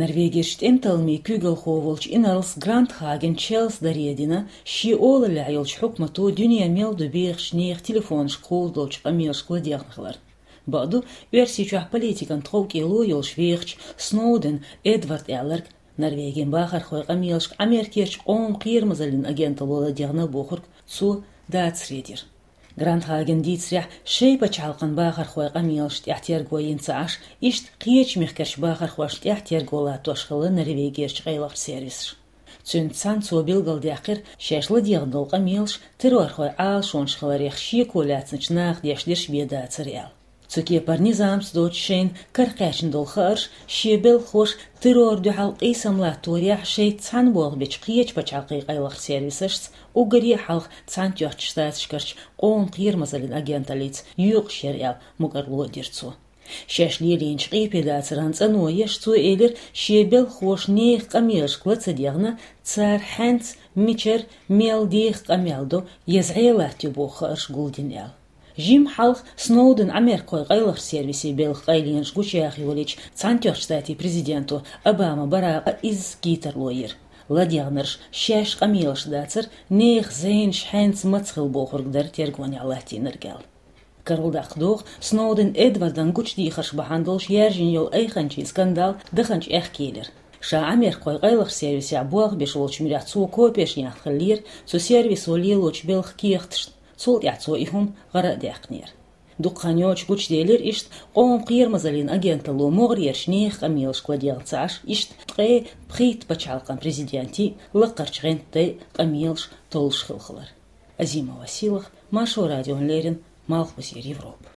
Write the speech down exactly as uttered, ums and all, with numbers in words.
Норвегерчу тӀемталламийн куьйгалхо волчу инарлас Грантхаген Чарльза даре а дина, шен олаллехь йолчу хьукмато дуьненан мел ду бехачу нехан телефонашкахула долчу къамелашка ладегӀна хилар. Бакъду, Оьрсийчохь политикан тховкӀело йолуш вехачу Сноуден Эдварда аьлларг, Норвегин бахархойн къамелашка Америкерчу къоман кхерамазаллин агенталло ладегӀна бохург цо дацаре дира. Грантхагена дийцарехь, шайн пачхьалкхан бахархойн къамелашна тӀехь терго йина ца Ӏаш, иштта кхечу мехкарчу бахархошна тӀехь терго латтош хилла Норвегерчу къайлахчу сервисаш. Цуьнца цхьаьна цо билгалдаьккхира, шаьш ладегӀна долу къамелаш террорхойн Ӏалашонаш хиларех шеко лаьцначу наха деш дерш бен дацара аьлла. Цу кепара низамца доцуш шайна каракхаьчна долу хаарш шен белхахоша террор дуьхьал къийсам латторехь шайца цхьаьна болх бечу кхечу пачхьалкхийн къайлахчу сервисашца уггаре а хьалха Цхьаьнатоьхначу Штаташкарчу къоман кхерамазаллин агенталлица юкъаш яра аьлла, мукӀарло а дира цо. Шаьш лелийначу къепедацаран цӀано еш, цо элира, шен белхахоша нехан къамелашка ла ца дегӀна, цара хьаьнца, мичара, мел деха къамел до, я зӀе латтайо боху хаарш гулдина аьлла. Жимма хьалха Сноуден Америкин къайлахчу сервисийн белхан къайленаш гучуяха йолийча, Цхьаьнатоьхначу Штатийн президента Обама Баракъа изза гайтарло йира. ЛадегӀнарш шаьш къамелаш дацара, нехан зӀенаш хьаьнца маца хилла бохург дара тергонехь латтийнарг аьлла. Карладаккха догӀу, Сноуден Эдвардан гучудехарш бахьана долуш яьржина йолу айханчийн скандал даханчу аьхке елира. Ша Америкин къайлахчу сервисехь болх беш волчу муьрехь цо копеш яьхна хиллера цу сервисо лелочу белхан кехаташна, цул тӀаьхьа цо и хӀума гӀара а даьккхинера. Дукха хан йоцуш гучуделира иштта къоман кхерамазаллин агенталло могӀарерчу нехан къамелашка ладегӀна ца Ӏаш, иштта ткъе пхийтта пачхьалкхан президентийн, лакхарчу гӀантдайн къамелаш толлуш хилла хилар. Азима Василах, Маршо радиона леррина, Малхбузера Европа.